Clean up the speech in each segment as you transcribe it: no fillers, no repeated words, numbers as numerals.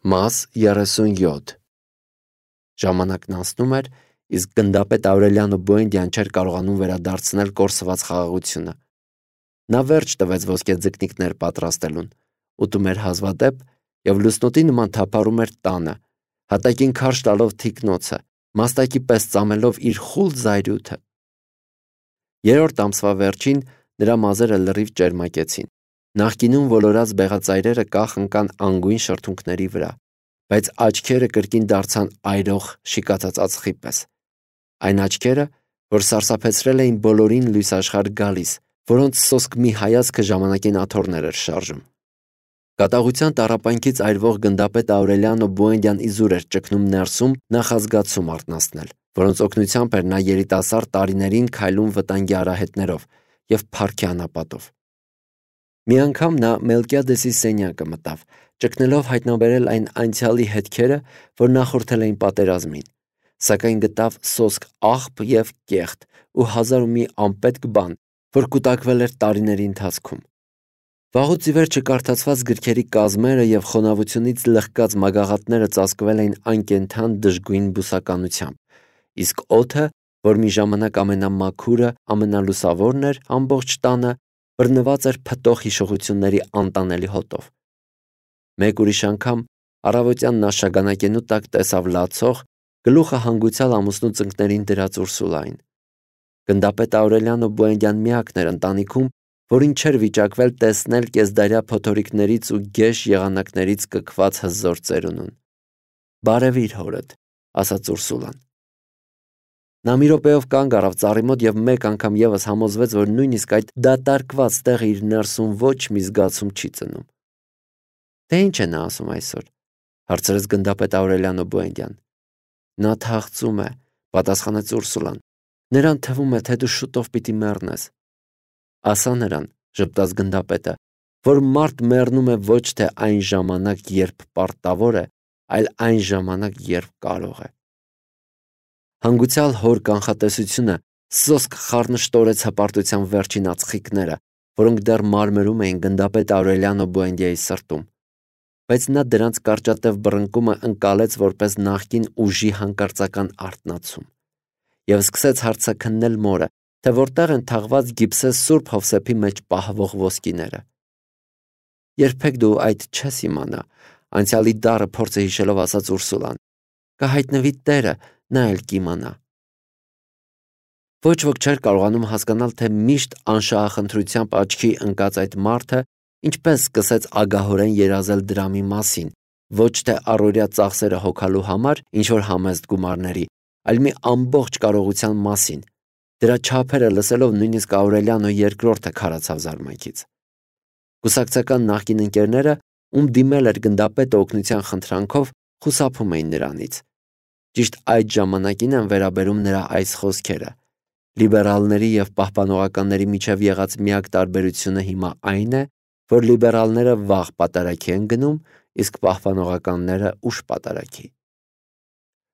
Մաս 37 Ժամանակն անցնում էր, իսկ գնդապետ Աուրելիանո Բուենդիան չէր կարողանում վերադարձնել կորսված խաղաղությունը։ Նա վերջ տվեց ոսկե ձկնիկներ պատրաստելուն, ուտում էր հազվադեպ և լուսնոտի նման թափառում էր տանը, հատակին քարշ տալով թիկնոցը, մաստակի պես ծամելով իր խուլ զայրույթը։ Երրորդ ամսվա վերջին նրա մազերը լրիվ ճերմակեցին։ Նախկինում ոլորած բեղածայրերը կախ ընկան անգույն շրթունքների վրա, բայց աչքերը կրկին դարձան այրող շիկացած ածխի պես։ Այն աչքերը, որ սարսափեցրել էին բոլորին լույսաշխարհ գալիս, որոնց սոսկ մի հայացքը ժամանակին աթոռներ էր շարժում։ Կատաղության տառապանքից այրվող գնդապետ Աուրելիանո Բուենդիան իզուր էր ճգնում ներսում նախազգացում արթնացնել, որոնց օգնությամբ էր նա երիտասարդ տարիներին քայլում վտանգի արահետներով և փառքի անապատով։ Մի անգամ նա Մելկիադեսի սենյակը մտավ, ճգնելով հայտնաբերել այն անցյալի հետքերը, որ նախորդել էին պատերազմին, սակայն գտավ սոսկ աղբ և կեղտ ու հազար ու մի անպետք բան, որ կուտակվել էր տարիների ընթացքում։ Վաղուց ի վեր չկարդացված գրքերի կազմերը և խոնավությունից լղկած մագաղատները ծածկվել էին անկենդան դժգույն բուսականությամբ, իսկ օդը, որ մի ժամանակ ամենամաքուրը, ամենալուսավորն էր ամբողջ տանը, բռնված էր փտող հիշողությունների անտանելի հոտով։ Մեկ ուրիշ անգամ առավոտյան նա շագանակենու տակ տեսավ լացող, գլուխը հանգուցյալ ամուսնու ծնկներին դրած Ուրսուլային։ Գնդապետ Աուրելիանո Բուենդիան միակն էր ընտանիքում, որին չէր վիճակվել տեսնել կեսդարյա փոթորիկներից ու գեշ եղանակներից կքված հզոր ծերունուն։ «Բարևիր հորդ», ասաց Ուրսուլան։ Նա մի րոպեով կանգ առավ ծառի մոտ և մեկ անգամ ևս համոզվեց, որ նույնիսկ այդ դատարկված տեղը իր ներսում ոչ մի զգացում չի ծնում։ «Դե ի՞նչ է նա ասում այսօր», հարցրեց գնդապետ Աուրելիանո Բուենդիան։ «Նա թախծում է», պատասխանեց Ուրսուլան։ «Նրան թվում է, թե դու շուտով պիտի մեռնես»։ «Ասա նրան», ժպտաց գնդապետը, «որ մարդ մեռնում է ոչ թե այն ժամանակ, երբ պարտավոր է, այլ այն ժամանակ, երբ կարող է»։ Հանգուցյալ հոր կանխատեսությունը սոսկ խառնշտորեց հպարտության վերջին ածխիկները, որոնք դեռ մարմրում էին գնդապետ Աուրելիանո Բուենդիայի սրտում, բայց նա դրանց կարճատև բռնկումը ընկալեց որպես նախկին ուժի հանկարծական արթնացում և սկսեց հարցաքննել մորը, թե որտեղ են թաղված Գիբսես Սուրբ Հովսեփի մեջ պահվող ոսկիները։ «Երբեք դու այդ չես իմանա», անցյալի դառը փորձը հիշելով ասաց Ուրսուլան։ «Կհայտնվի Տերը, նա էլ կիմանա»։ Ոչ ոք չէր կարողանում հասկանալ, թե միշտ անշահախնդրությամբ աչքի ընկած այդ մարդը ինչպես սկսեց ագահորեն երազել դրամի մասին, ոչ թե առօրյա ծախսերը հոգալու համար ինչ-որ համեստ գումարների, այլ մի ամբողջ կարողության մասին։ Դրա չափերը լսելով նույնիսկ Աուրելիանո II-ը քարացավ զարմանքից։ Կուսակցական նախկին ընկերները, ում դիմել էր գնդապետը օգնության խնդրանքով, խուսափում էին նրանից։ Ճիշտ այդ ժամանակին են վերաբերում նրա այս խոսքերը. «Լիբերալների և պահպանողականների միջև եղած միակ տարբերությունը հիմա այն է, որ լիբերալները վաղ պատարագի են գնում, իսկ պահպանողականները ուշ պատարագի»։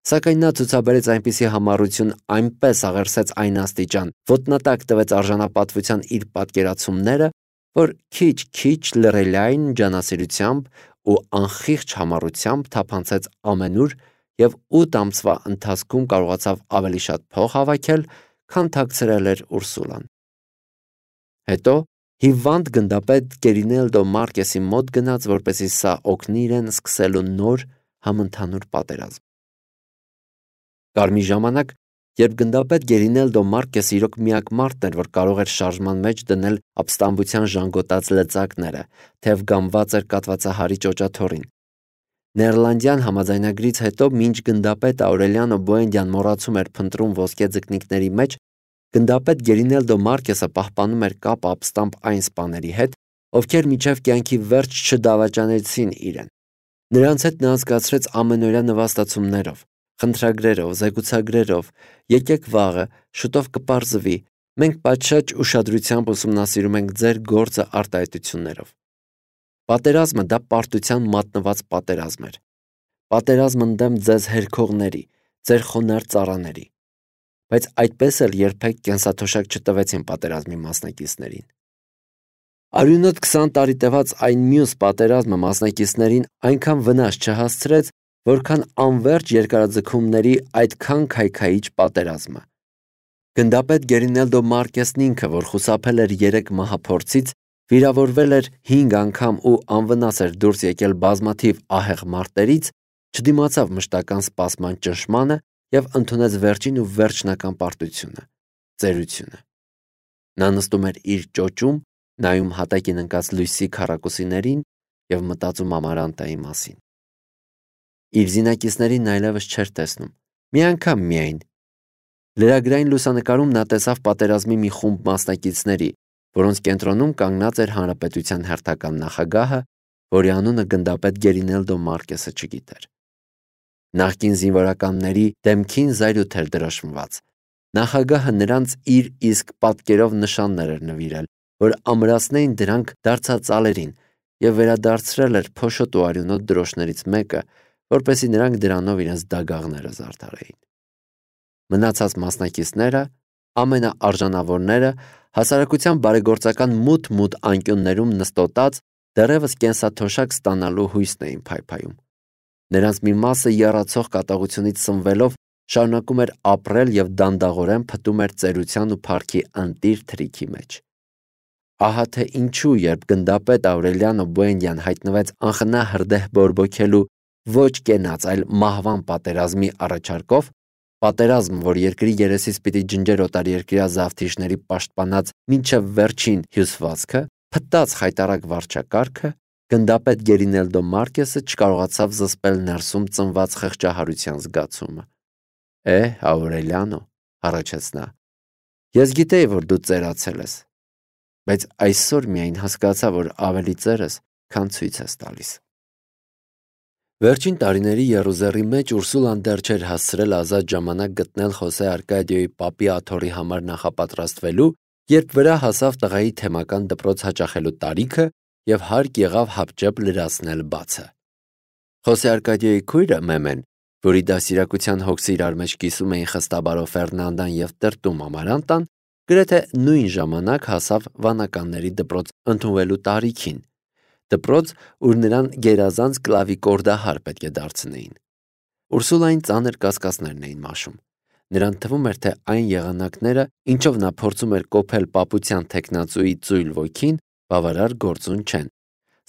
Սակայն նա ցուցաբերեց այնպիսի համառություն, այնպես աղերսեց այն աստիճան, ոտնատակ տվեց արժանապատվության իր պատկերացումները, որ քիչ-քիչ լռելային ջանասիրությամբ ու անխիղճ համառությամբ թափանցեց ամենուր և 8 ամսվա ընթացքում կարողացավ ավելի շատ փող հավաքել, քան թաքցրել էր Ուրսուլան։ Հետո հիվանդ գնդապետ Գերինելդո Մարկեսի մոտ գնաց, որպեսզի սա օգնի իրեն սկսելու նոր համընդհանուր պատերազմ։ Կար մի ժամանակ, երբ գնդապետ Գերինելդո Մարկեսը իրոք միակ մարդն էր, որ կարող էր շարժման մեջ դնել ապստամբության ժանգոտած լծակները, թեև գամված էր կաթվածահարի ճոճաթոռին։ Նեերլանդյան համաձայնագրից հետո, մինչ գնդապետ Աուրելիանո Բուենդիան մոռացում էր փնտրում ոսկե ձկնիկների մեջ, գնդապետ Գերինելդո Մարկեսը պահպանում էր կապը ապստամբ այն սպաների հետ, ովքեր մինչև կյանքի վերջ չդավաճանեցին իրեն։ Նրանց հետ նա անցկացրեց ամենօրյա նվաստացումներով, խնդրագրերով, զեկուցագրերով. «Եկեք վաղը, շուտով կպարզվի, մենք պատշաճ ուշադրությամբ ուսումնասիրում ենք ձեր գործը» արտահայտություններով։ Պատերազմը դա պարտության մատնված պատերազմ էր։ Պատերազմ ընդդեմ ձեզ հերքողների, ձեր խոնարհ ծառաների։ Բայց այդպես էլ երբեք կենսաթոշակ չտվեցին պատերազմի մասնակիցներին։ Արյունոտ 20 տարի տևած այն մյուս պատերազմը մասնակիցներին այնքան վնաս չհասցրեց, որքան անվերջ երկարաձգումների այդքան քայքայիչ պատերազմը։ Գնդապետ Գերինելդո Մարկեսն ինքը, որ խուսափել էր 3 մահափորձից, վիրավորվել էր 5 անգամ ու անվնաս էր դուրս եկել բազմաթիվ ահեղ մարտերից, չդիմացավ մշտական սպասման ճնշմանը և ընդունեց վերջին ու վերջնական պարտությունը՝ ծերությունը։ Նա նստում էր իր ճոճում, նայում հատակին ընկած լույսի քառակուսիներին և մտածում Ամարանտայի մասին։ Իր զինակիցներին այլևս չէր տեսնում, մի անգամ միայն։ Լրագրային լուսանկարում նա տեսավ պատերազմի մի խումբ մասնակիցների, որոնց կենտրոնում կանգնած էր հանրապետության հերթական նախագահը, որի անունը գնդապետ Գերինելդո Մարկեսը չգիտեր։ Նախկին զինվորականների դեմքին զայրույթ էր դրոշմված։ Նախագահը նրանց իր իսկ պատկերով նշաններ էր նվիրել, որ ամրացնեին դրանք դարձածալերին և վերադարձրել էր փոշոտ ու արյունոտ դրոշներից մեկը, որպեսզի նրանք դրանով իրենց դագաղները զարդարեին։ Մնացած մասնակիցները, ամենաարժանավորները, հասարակության բարեգործական մութ անկյուններում նստոտած, դեռևս կենսաթոշակ ստանալու հույսն էին փայփայում։ Նրանց մի մասը եռացող կատաղությունից սնվելով շարունակում էր ապրել և դանդաղորեն փտում էր ծերության ու փառքի ընտիր թրիքի մեջ։ Ահա թե ինչու, երբ գնդապետ Աուրելիանո Բուենդիան հայտնվեց անխնա հրդեհ բորբոքելու ոչ կենաց, այլ մահվան պատերազմի առաջարկով, պատերազմ, որ երկրի երեսից պիտի ջնջեր օտարերկրյա զավթիչների պաշտպանած մինչև վերջին հյուսվածքը, փտած խայտառակ վարչակարգը, գնդապետ Գերինելդո Մարկեսը չկարողացավ զսպել ներսում ծնված խղճահարության զգացումը։ Աուրելիանո, հառաչեց նա, ես գիտեի, որ դու ծերացել ես, բայց այսօր միայն հասկացա, որ ավելի ծեր ես, քան ցույց ես տալիս։ Վերջին տարիների եռուզեռի մեջ Ուրսուլան դեռ չէր հասցրել ազատ ժամանակ գտնել Խոսե Արկադիոյի պապի աթոռի համար նախապատրաստվելու, երբ վրա հասավ տղայի թեմական դպրոց հաճախելու տարիքը և հարկ եղավ հապճեպ լրացնել բացը։ Խոսե Արկադիոյի քույրը Մեմեն, որի դաստիարակության հոգսը իրար մեջ կիսում էին խստաբարո Ֆերնանդան և տրտում Ամարանտան, գրեթե նույն ժամանակ հասավ վանականների դպրոց ընդունվելու տարիքին, դպրոց, ուր նրան գերազանց կլավիկորդահար պետք է դարձնեին։ Ուրսուլային ծանր կասկածներն էին մաշում։ Նրան թվում էր, թե այն եղանակները, ինչով նա փորձում էր կոփել պապության թեկնածուի ծույլ ոգին, բավարար գործուն չեն,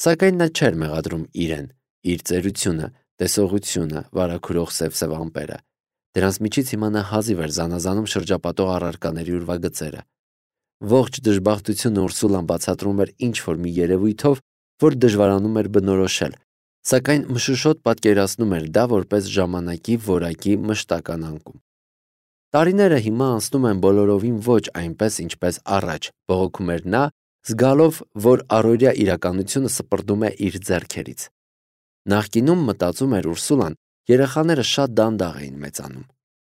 սակայն նա չէր մեղադրում իրեն, իր ծերությունը, տեսողությունը, վարագուրող սև ամպերը։ Դրանց միջից հիմա նա հազիվ էր զանազանում շրջապատող առարկաների ուրվագծերը։ Ողջ դժբախտությունը Ուրսուլան բացատրում էր ինչ-որ մի երևույթով, որ դժվարանում էր բնորոշել, սակայն մշուշոտ պատկերացնում էր դա որպես ժամանակի որակի մշտական անկում։ Տարիները հիմա անցնում են բոլորովին ոչ այնպես, ինչպես առաջ, բողոքում էր նա, զգալով, որ առօրյա իրականությունը սպրդում է իր ձեռքերից։ Նախկինում, մտածում էր Ուրսուլան, երեխաները շատ դանդաղ էին մեծանում։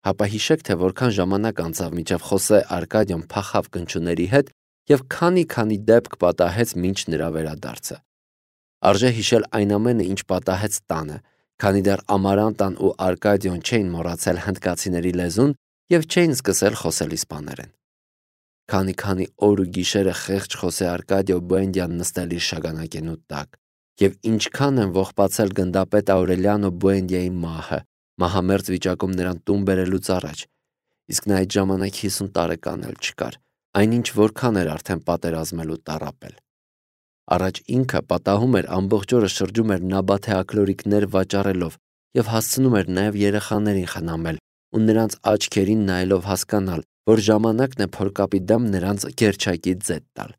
Հապա հիշեք, թե որքան ժամանակ անցավ, մինչև Խոսե Արկադիոն փախավ կնճուների հետ և քանի դեպք պատահեց մինչ նրա վերադարձը։ Արժե հիշել այն ամենը, ինչ պատահեց տանը, քանի դեռ Ամարանտան ու Արկադիոն չէին մոռացել հնդկացիների լեզուն և չէին սկսել խոսել իսպաներեն։ Քանի օր ու գիշերը խեղճ Խոսե Արկադիո Բուենդիան նստել իր շագանակենու տակ, և ինչքան են ողբացել գնդապետ Աուրելիանո Բուենդիայի մահը, մահամերձ վիճակում նրան տուն բերելուց առաջ, իսկ նա այդ ժամանակ 50 տարեկան էլ չկար, այնինչ որքան էր արդեն պատերազմել ու տառապել։ Առաջ ինքը պատահում էր ամբողջ օրը շրջում էր նաբաթե աքլորիկներ վաճառելով և հասցնում էր նաև երեխաներին խնամել ու նրանց աչքերին նայելով հասկանալ, որ ժամանակն է փորկապի դեմ նրանց գերչակի ձետ տալ։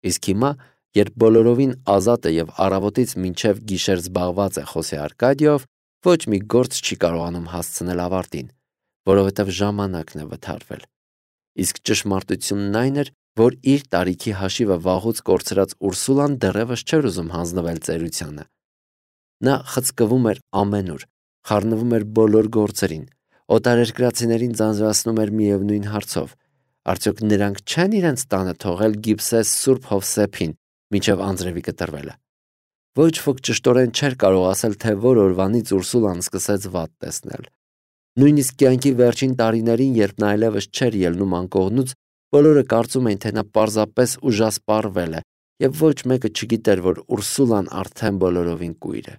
Իսկ հիմա, երբ բոլորովին ազատ է և առավոտից մինչև գիշեր զբաղված է Խոսե Արկադիով, ոչ մի գործ չի կարողանում հասցնել ավարտին, որովհետև ժամանակն է վթարվել։ Իսկ ճշմարտությունն այն էր, որ իր տարիքի հաշիվը վաղուց կորցրած Ուրսուլան դեռևս չէր ուզում հանձնվել ծերությանը։ Նա խցկվում էր ամենուր, խառնվում էր բոլոր գործերին, օտարերկրացիներին ձանձրացնում էր միևնույն հարցով. արդյոք նրանք չեն իրենց տանը թողել Գիբսես Սուրբ Հովսեփին մինչև անձրևի կտրվելը։ Ոչ ոք ճշտորեն չէր կարող ասել, թե որ օրվանից Ուրսուլան սկսեց վատ տեսնել։ Նույնիսկ կյանքի վերջին տարիներին, երբ նա այլևս չէր ելնում անկողնուց, բոլորը կարծում էին, թե նա պարզապես ուժասպառվել է եւ ոչ մեկը չգիտեր, որ Ուրսուլան արդեն բոլորովին կույր է։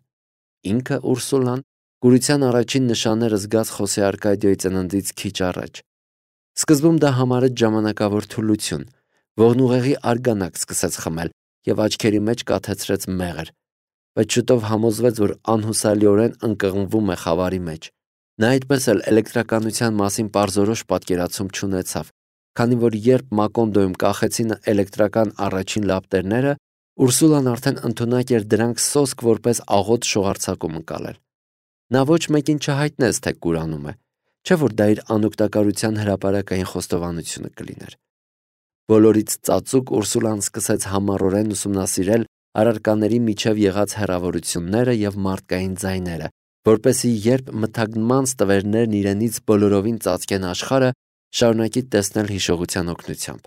Ինքը Ուրսուլան կուրության առաջին նշանները զգաց Խոսե Արկադիոյի ծննդից քիչ առաջ։ Սկզբում դա համարեց ժամանակավոր թուլություն, ողնուղեղի արգանակ սկսեց խմել եւ աչքերի մեջ կաթեցրեց մեղր, բայց շուտով համոզվեց, որ անհուսալիորեն ընկղմվում է խավարի մեջ։ Նա այդպես էլ էլեկտրականության մասին պարզորոշ պատկերացում չունեցավ, քանի որ երբ Մակոնդոյում կախեցին էլեկտրական առաջին լապտերները, Ուրսուլան արդեն ընդունակ էր դրանք սոսկ որպես աղոտ շողարցակում ընկալել։ Նա ոչ մեկին չհայտնեց, թե կուրանում է, չէ որ դա իր անօգտակարության հրապարակային խոստովանությունը կլիներ։ Բոլորից ծածուկ Ուրսուլան սկսեց համառորեն ուսումնասիրել առարկաների միջև եղած հեռավորությունները եւ մարդկային ձայները, որպեսզի երբ մթագնման ստվերներն իրենից բոլորովին ծածկեն աշխարհը, շարունակի տեսնել հիշողության օգնությամբ։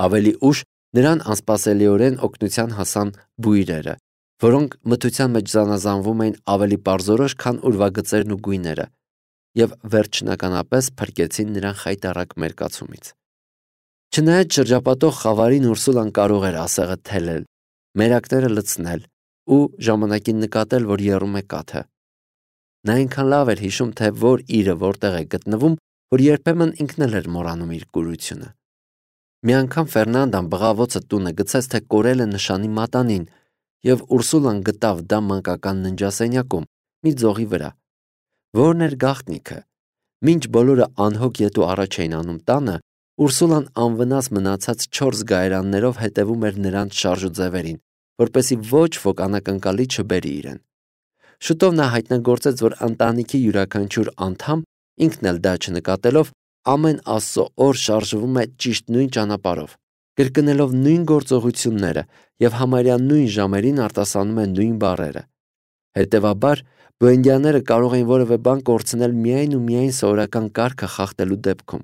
Ավելի ուշ նրան անսպասելիորեն օգնության հասան բույրերը, որոնք մթության մեջ զանազանվում էին ավելի պարզորոշ, քան ուրվագծերն ու գույները, եւ վերջնականապես փրկեցին նրան խայտառակ մերկացումից։ Չնայած շրջապատող խավարին Ուրսուլան կարող էր ասեղը թելել, մերակները լցնել ու ժամանակին նկատել, որ եռում է կաթը։ Նա այնքան լավ էր հիշում, թե որ իրը որտեղ է գտնվում, որ երբեմն ինքն էլ էր մոռանում իր կուրությունը։ Մի անգամ Ֆերնանդան բղավոցը տունը գցեց, թե կորել է նշանի մատանին, եւ Ուրսուլան գտավ դա մանկական ննջասենյակում, մի ձողի վրա։ Որն էր գաղտնիքը։ Մինչ բոլորը անհոգ ետու առաջ էին անում տանը, Ուրսուլան անվնաս մնացած 4 գայրաններով հետևում էր նրանց շարժուձևերին, որպեսզի ոչ ոք անակնկալի չբերի իրեն։ Շուտով նա հայտնագործեց, որ ընտանիքի յուրաքանչյուր անդամ, ինքն էլ դա չնկատելով, ամեն Աստծո օր շարժվում է ճիշտ նույն ճանապարհով, կրկնելով նույն գործողությունները եւ համարյա նույն ժամերին արտասանում է նույն բառերը։ Հետևաբար, բոհեմյաները կարող էին որևէ բան կորցնել միայն ու միայն սովորական կարգը խախտելու դեպքում։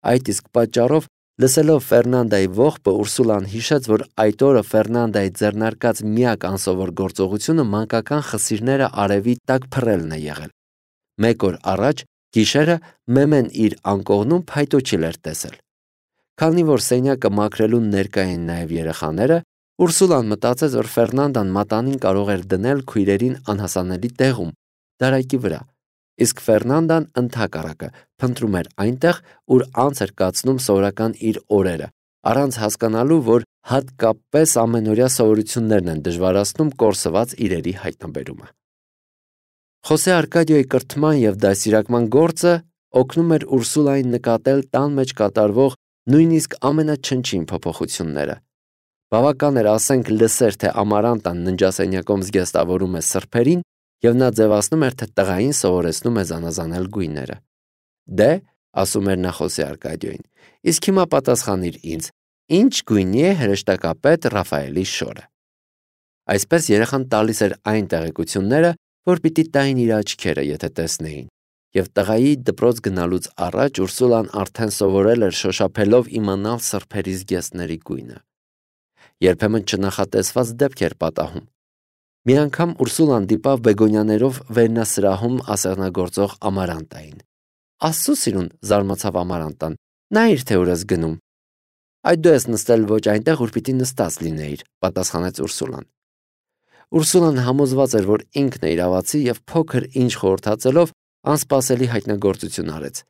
Այդ իսկ պատճառով, լսելով Ֆերնանդայի ողբը, Ուրսուլան հիշեց, որ այդ օրը Ֆերնանդայի ձեռնարկած միակ անսովոր գործողությունը մանկական խսիրները արևի տակ փռելն է եղել։ Մեկ օր առաջ գիշերը Մեմեն իր անկողնում փայտոջիլ էր տեսել։ Քանի որ սենյակը մաքրելուն ներկա էին նաև երեխաները, Ուրսուլան մտածեց, որ Ֆերնանդան մատանին կարող էր դնել քույրերին անհասանելի տեղում, դարակի վրա, իսկ Ֆերնանդան ընդհակառակը փնտրում էր այնտեղ, ուր անց էր կացնում սովորական իր օրերը, առանց հասկանալու, որ հատկապես ամենօրյա սովորություններն են դժվարացնում կորսված իրերի հայտնաբերումը։ Խոսե Արկադիոյի կրթման եւ դաստիարակման գործը օգնում էր Ուրսուլային նկատել տան մեջ կատարվող նույնիսկ ամենաչնչին փոփոխությունները։ Բավական էր ասենք լսեր, թե Ամարանտան ննջասենյակում զգեստավորում է սրբերին, եւ նա ձևացնում էր, թե տղային սովորեցնում է զանազանել գույները։ Դե, ասում էր նա Խոսե Արկադիոյին, իսկ հիմա պատասխանիր ինձ, ինչ գույնի է հրեշտակապետ Ռաֆայելի շորը։ Այսպես երեխան տալիս էր այն տեղեկությունները, որ պիտի տային իր աչքերը, եթե տեսնեին, եւ տղայի դպրոց գնալուց առաջ Ուրսուլան արդեն սովորել էր շոշափելով իմանալ սրբերի զգեստների գույնը։ Երբեմն չնախատեսված դեպք էր պատահում։ Մի անգամ Ուրսուլան դիպավ Բեգոնյաներով վերնասրահում ասեղնագործող Ամարանտային։ Աստծո սիրուն, զարմացավ Ամարանտան, նայիր, թե ուր ես գնում։ Այդ դու ես նստել ոչ այնտեղ, ուր պիտի նստած լինեիր, պատասխանեց Ուրսուլան։ Ուրսուլան համոզված էր, որ ինքն է իրավացի եւ փոքր ինչ խորհրդածելով անսպասելի հայտնագործություն արեց,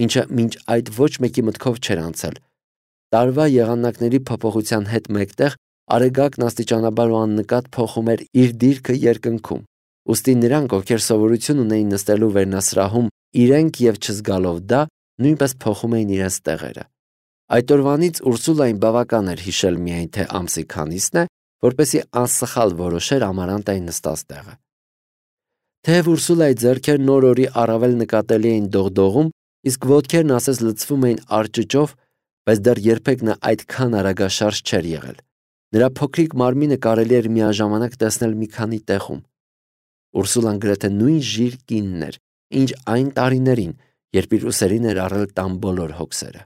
ինչը մինչ այդ ոչ մեկի մտքով չէր անցել։ Տարվա եղանակների փոփոխության հետ մեկտեղ Արեգակն աստիճանաբար ու աննկատ փոխում էր իր դիրքը երկնքում, ուստի նրանք, ովքեր սովորություն ունեին նստելու վերնասրահում, իրենք եւ չզգալով դա, նույնպես փոխում էին իրենց տեղերը։ Այդ օրվանից Ուրսուլային բավական էր հիշել միայն, թե ամսի քանիսն է, որպեսզի անսխալ որոշեր Ամարանտայի նստած տեղը։ Թեև Ուրսուլայի ձեռքերն նոր-օրի առավել նկատելի էին դողդողում, իսկ ոտքերն ասես լցվում էին արճճով, բայց դեռ երբեք նա այդքան արագաշարժ չէր եղել։ Նրա փոքրիկ մարմինը կարելի էր միաժամանակ տեսնել մի քանի տեղում։ Ուրսուլան գրեթե նույն ժիր կինն էր, ինչ այն տարիներին, երբ իր ուսերին էր առել տան բոլոր հոգսերը։